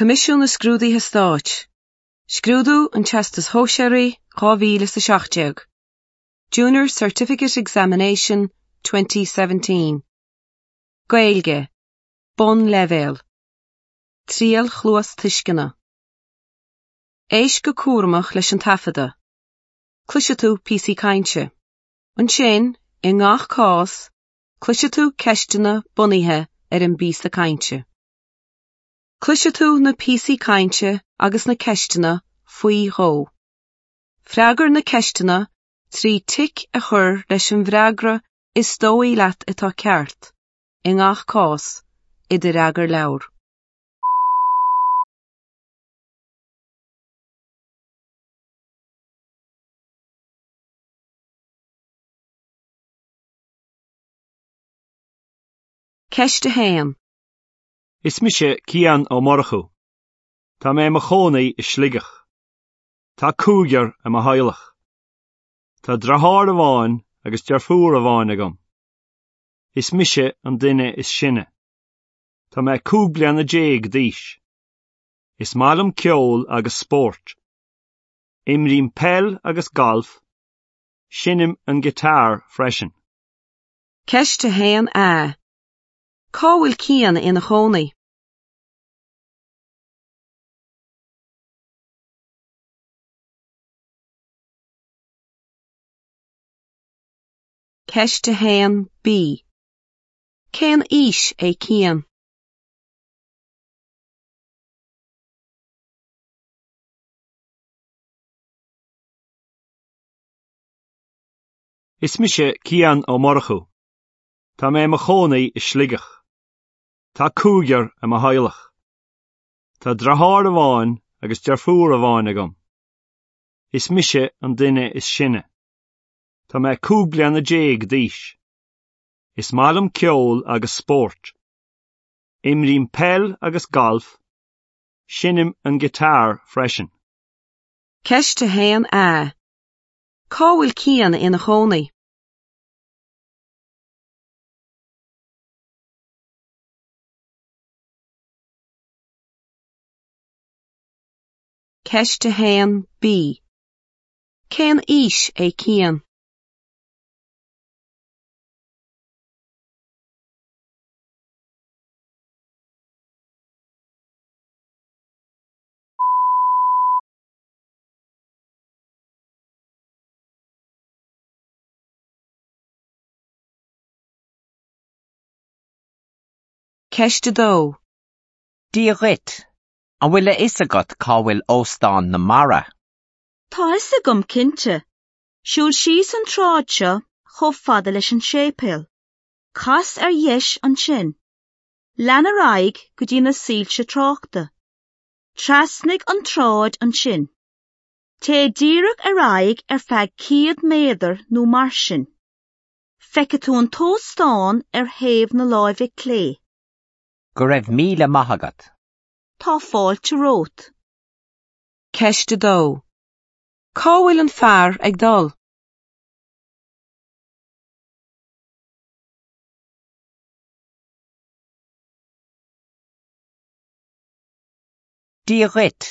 Coimisiún na Scrúduithe Stáit, Scrúdú an Teastais Shóisearaigh 2017, Junior Certificate Examination 2017, Gaeilge, Bonnleibhéal, Triail Chluastuisceana. Éist go cúramach leis an taifeadadh. Cloisfidh tú píosaí cainte. Ansin, i ngach cás, cloisfidh tú ceisteanna bunaithe ar an bpíosa cainte. Cloisfidh tú na píosaí cainte agus na ceisteanna faoi dhó. Freagair na ceisteanna trí tic a chur leis an bhfreagra is dóigh leat atá ceart, i ngach cás, i do fhreagarleabhar. Ceist 1. Is mise Cian Ó Murchú. Tá mé i mo chónaí i Sligeach. Tá cúigear i mo theaghlach. Tá deartháir amháin agus deirfiúr amháin agam. Is mise an duine is sine. Tá mé 15 bliana d'aois. Is maith liom ceol agus spórt. Imrím peil agus galf. Seinnim an guitar freisin. Ceist 1A. Cá bhfuil Cian ina chónaí? Ceist 1B. Cén aois é Cian? Is mise Cian Ó Murchú. Tá mé i mo chónaí i Sligeach. Tá cúigear i mo theaghlach. Tá deartháir amháin agus deirfiúr amháin agam. Is mise an duine is sine. Tá mé 15 bliana d'aois. Is maith liom ceol agus spórt. Imrím peil agus galf. Seinnim an guitar freisin. Ceist 1A. Cá bhfuil Cian ina chónaí? Ceist 1B. Cén aois é Cian? Ceist 2. Dia dhuit. An bhfuil a fhios agat cá bhfuil Óstán na Mara? Tá a fhios agam cinnte. Siúil síos an tsráid seo chomh fada leis an séipéal. Cas ar dheis ansin. Lean ar aghaidh go dtí na soilse tráchta. Trasnaigh an tsráid ansin. Téigh díreach ar aghaidh ar feadh 100 méadar nó mar sin. Feicfidh tú an t-óstán ar thaobh na láimhe clé. Go raibh míle maith agat. Tá fáilte romhat. Ceist 2. Cá bhfuil an fear ag dul? Dia dhuit.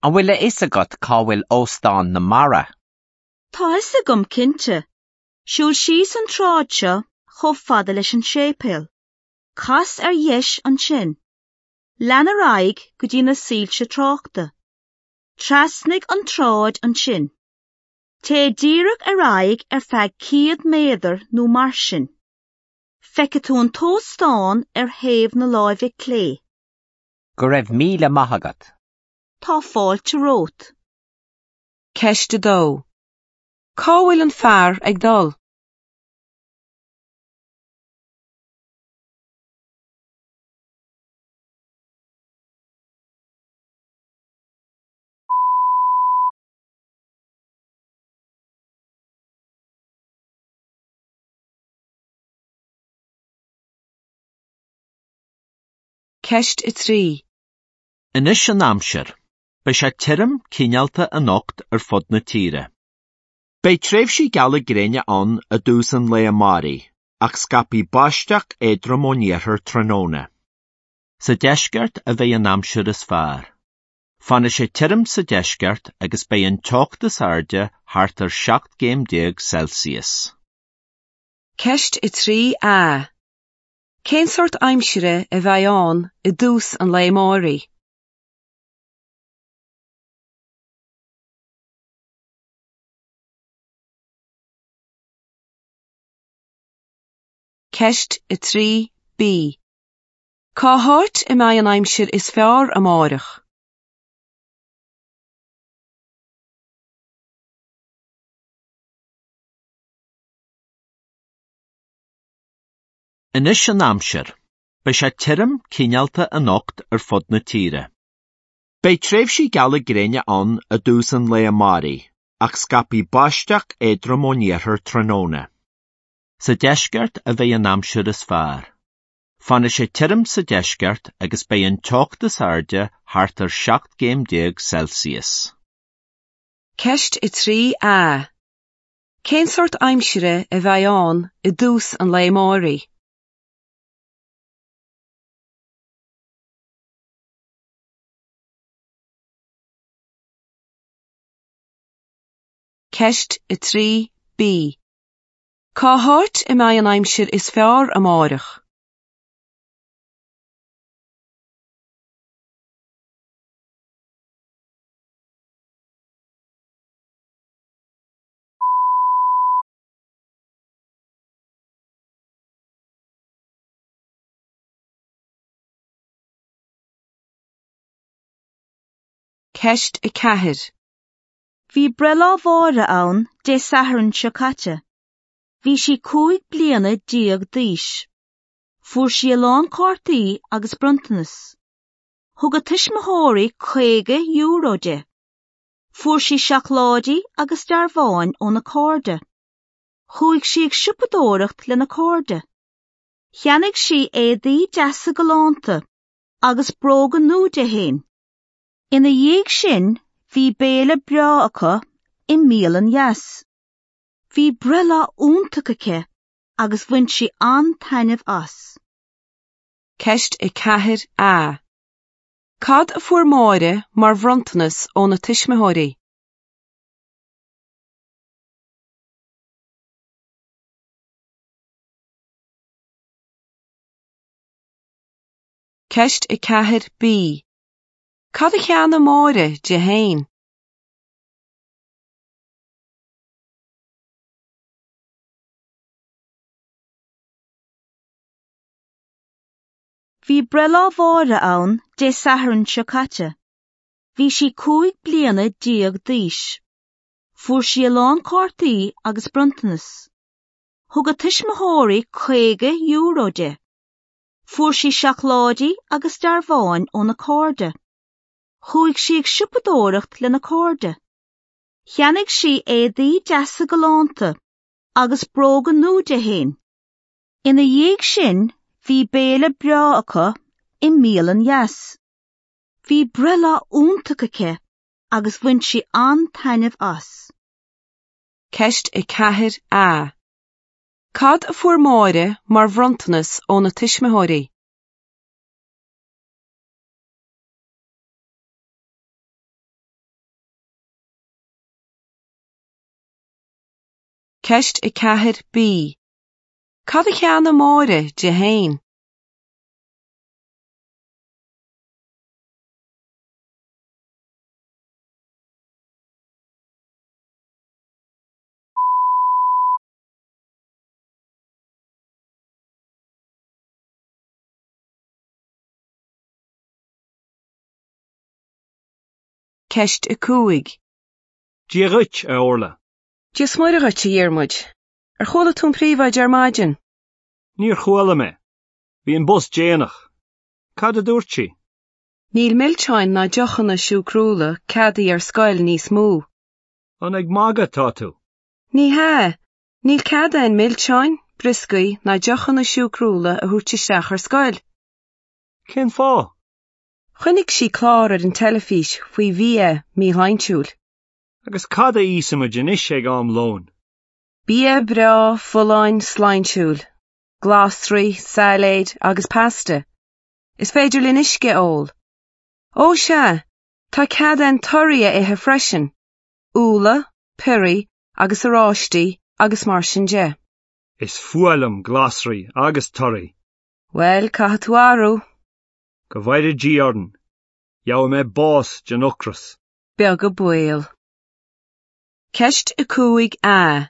An bhfuil a fhios agat cá bhfuil Óstán na Mara? Tá a fhios agam cinnte. Siúil síos an tsráid seo chomh fada leis an séipéal. Cas ar dheis ansin. Lean ar aghaidh go dtí na soilse tráchta. Trasnaigh an tsráid ansin. Téigh díreach ar aghaidh ar feadh 100 méadar nó mar sin. Feicfidh tú an t-óstán ar thaobh na láimhe clé. Go raibh míle maith agat. Tá fáilte romhat. Ceist 2. Cá bhfuil an fear ag dul? Ceist 3. Anois an aimsir. Beidh sé tirim, cineálta anocht ar fud na tíre. Beidh tréimhsí geala gréine ann i dtús an lae amáirigh, ach scaipfidh báisteach éadrom ón iarthar tráthnóna. Sa deisceart a bheidh an aimsir is fearr. Fanfaidh sé tirim sa deisceart agus beidh an teocht is airde thart ar 17 gcéim Celsius. Ceist 3A. Cén sórt aimsire a bheidh ann i dtús an lae amáirigh? Ceist 3B. Cá háit a mbeidh an aimsir is fearr amárach? Anois an aimsir. Beidh sé tirim cineálta anocht ar fud na tíre. Beidh tréimhsí geala gréine ann i dtús an lae amáirigh, ach scaipfidh báisteach éadrom ón iarthar tráthnóna. Sa deisceart a bheidh an aimsir is fearr. Fanfaidh sé tirim sa deisceart agus beidh an teocht is airde thart ar 17 gcéim Celsius. Ceist 3A. Cén sórt aimsire a bheidh ann i dtús an lae amáirigh? Ceist 3B. Cá háit a mbeidh an aimsir is fearr amárach? Ceist 4. Bhí breithlá Mháire ann Dé Sathairn seo caite. Bhí sí 15 bliana d'aois. Fuair sí a lán cártaí agus bronntanas. Thug a tuismitheoirí €50 di. Fuair sí seacláidí agus dearbháin óna cairde. Chuaigh sí ag siopadóireacht lena cairde. Cheannaigh sí éadaí deasa galánta agus bróga nua di féin. Ina dhiaidh sin bhí béile breá acu i mbialann dheas. Bhí breithlá iontach aici agus bhain sí an-taitneamh as. Ceist 4A. Cad a fuair Máire mar bhronntanas óna tuismitheoirí? Ceist 4B. Cad a cheannaigh Máire di féin? Bhí breithlá Mháire ann Dé Sathairn seo caite. Bhí sí 15 bliana d'aois. Fuair sí a lán cártaí agus bronntanas. Thug a tuismitheoirí €50 di. Fuair sí seacláidí agus dearbháin óna cairde. Chuaigh sí ag siopadóireacht lena cairde. Cheannaigh sí éadaí deasa galánta agus bróga nua di féin. Ina dhiaidh sin bhí béile breá acu i mbialann dheas. Bhí breithlá iontach aici agus bhain sí an-taitneamh as. Ceist 4A. Cad a fuair Máire mar bhronntanas óna tuismitheoirí? Ceist 4B. Cad a cheannaigh Máire di féin? Ceist 5. Dia dhuit, a Orla. Dia is Muire dhuit, a Dhiarmuid. Ar chuala tú an príomhoide ar maidin? Níor chuala mé. Bhí an bus déanach. Cad a dúirt sí? Níl milseáin ná deochanna siúcrúla ceadaithe ar scoil níos mó. An ag magadh atá tú? Ní hea. Níl cead againn milseáin, brioscaí ná deochanna siúcrúla a thabhairt isteach ar scoil. Cén fáth? Chonaic sí clár ar an teilifís faoi bhia míshláintiúil. Agus cad a íosfaimid anois ag am lóin? Bia breá, folláin, sláintiúil. Glasraí, sailéid agus pasta. Is féidir linn uisce a ól. Ó sea, tá cead againn torthaí a ithe freisin. Úlla, piorraí agus oráistí agus mar sin de. Is fuath liom glasraí agus torthaí. Bhuel, caithfidh tú athrú. Go bhfóire Dia orainn. Gheobhaidh mé bás den ocras. Beag an baol. Ceist 5A.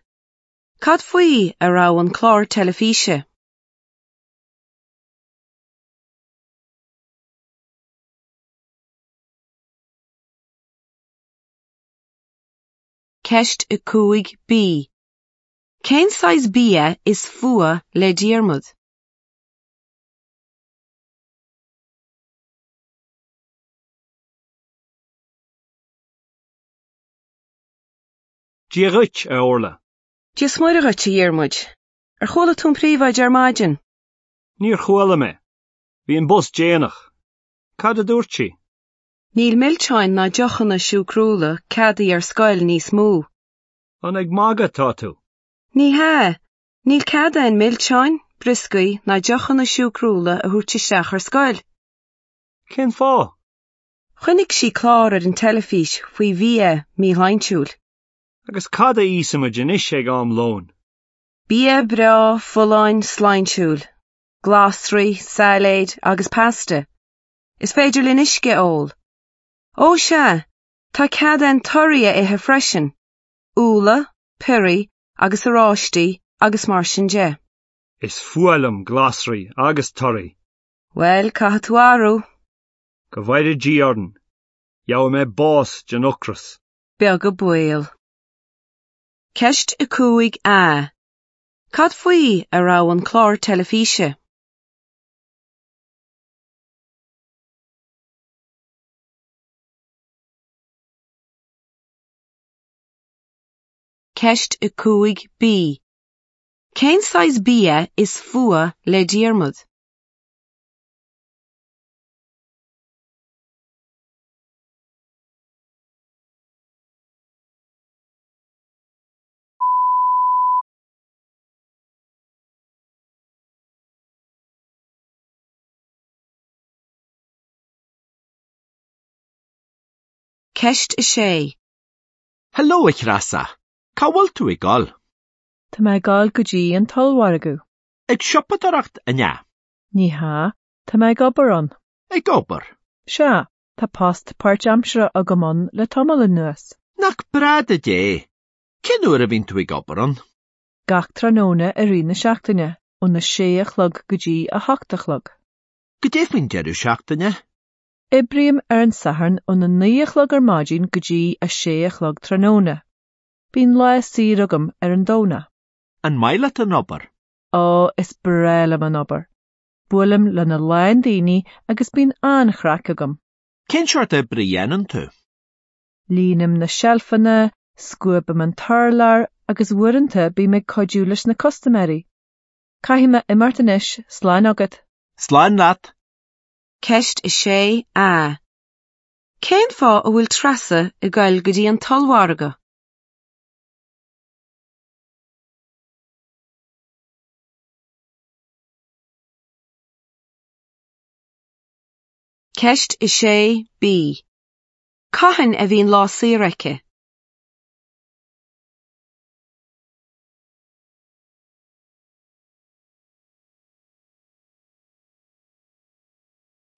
Cad faoi a raibh an clár teilifíse? Ceist 5B. Cén saghas bia is fuath le Diarmuid? Dia dhuit, a Orla. Dia is Muire dhuit, a Dhiarmuid. Ar chuala tú an príomhoide ar maidin? Níor chuala mé. Bhí an bus déanach. Cad a dúirt sí? Níl milseáin ná deochanna siúcrúla ceadaithe ar scoil níos mó. An ag magadh atá tú? Ní hea. Níl cead againn milseáin, brioscaí ná deochanna siúcrúla a thabhairt isteach ar scoil. Cén fáth? Chonaic sí clár ar an teilifís faoi bhia míshláintiúil. Agus cad a íosfaimid anois ag am lóin? Bia breá, folláin, sláintiúil. Glasraí, sailéid agus pasta. Is féidir linn uisce a ól. Ó sea, tá cead againn torthaí a ithe freisin. Úlla, piorraí agus oráistí agus mar sin de. Is fuath liom glasraí agus torthaí. Bhuel, caithfidh tú athrú. Go bhfóire Dia orainn. Gheobhaidh mé bás den ocras. Beag an baol. Ceist 5A. Cad faoi a raibh an clár teilifíse? Ceist 5B. Cén saghas bia is fuath le Diarmuid? Ceist 6. Hello, a Threasa. Cá bhfuil tú ag dul? Tá mé ag dul go dtí an t-ollmhargadh. Ag siopadóireacht, an ea? Ní hea, tá mé ag obair ann. Ag obair? Sea, tá post páirtaimseartha agam ann le tamall anuas. Nach breá duit é? Cén uair a bhíonn tú ag obair ann? Gach tráthnóna i rith na seachtaine, óna sé a chlog go dtí a hocht a chlog. Goidé faoin deireadh seachtaine? Oibrím ar an Satharn óna naoi a chlog ar maidin go dtí a sé a chlog tráthnóna. Bíonn lá saor agam ar an Domhnach. An maith leat an obair? Ó, is breá liom an obair. Buailim lena lán daoine agus bíonn an-chraic agam. Cén seort oibre a dhéanann tú? Líonaim na seilfeanna, scuabaim an t-urlár agus uaireanta bím ag cuidiú leis na custaiméirí. Caithfidh mé imeacht anois, slán agat! Slán leat! Ceist 6A. Cén fáth a bhfuil Treasa ag goil go dtí an t-ollmhargadh? Ceist 6B. Cathain a bhíonn lá saor aici?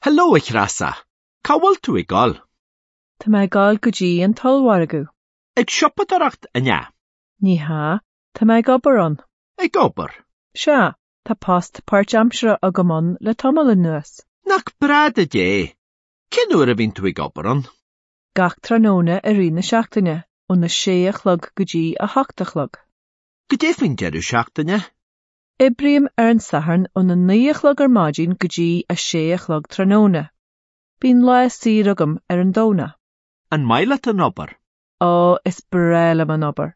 Hello, a Threasa. Cá bhfuil tú ag dul? Tá mé ag dul go dtí an t-ollmhargadh. Ag siopadóireacht, an ea? Ní hea, tá mé ag obair ann. Ag obair? Sea, tá post páirtaimseartha agam ann le tamall anuas. Nach breá duit é? Cén uair a bhíonn tú ag obair ann? Gach tráthnóna i rith na seachtaine, óna sé a chlog go dtí a hocht a chlog. Goidé faoin deireadh seachtaine? Oibrím ar an Satharn óna naoi a chlog ar maidin go dtí a sé a chlog tráthnóna. Bíonn lá saor agam ar an Domhnach. An maith leat an obair? Ó, is breá liom an obair.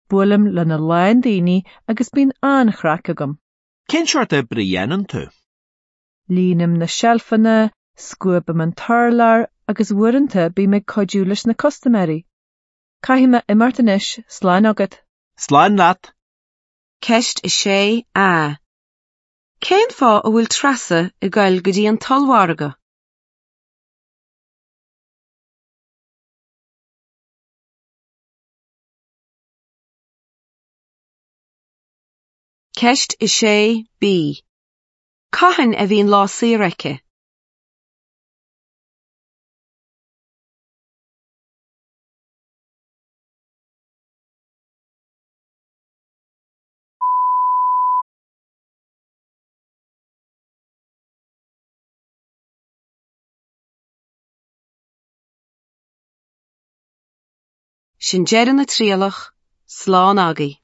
Buailim lena lán daoine agus bíonn an-chraic agam. Cén seort oibre a dhéanann tú? Líonaim na seilfeanna, scuabaim an t-urlár agus uaireanta bím ag cuidiú leis na custaiméirí. Caithfidh mé imeacht anois, slán agat! Slán leat! Ceist 6A. Cén fáth a bhfuil Treasa ag goil go dtí an t-ollmhargadh? Ceist 6 B. Cathain a bhíonn lá saor aici? Sin deireadh na trialach, slán agaibh.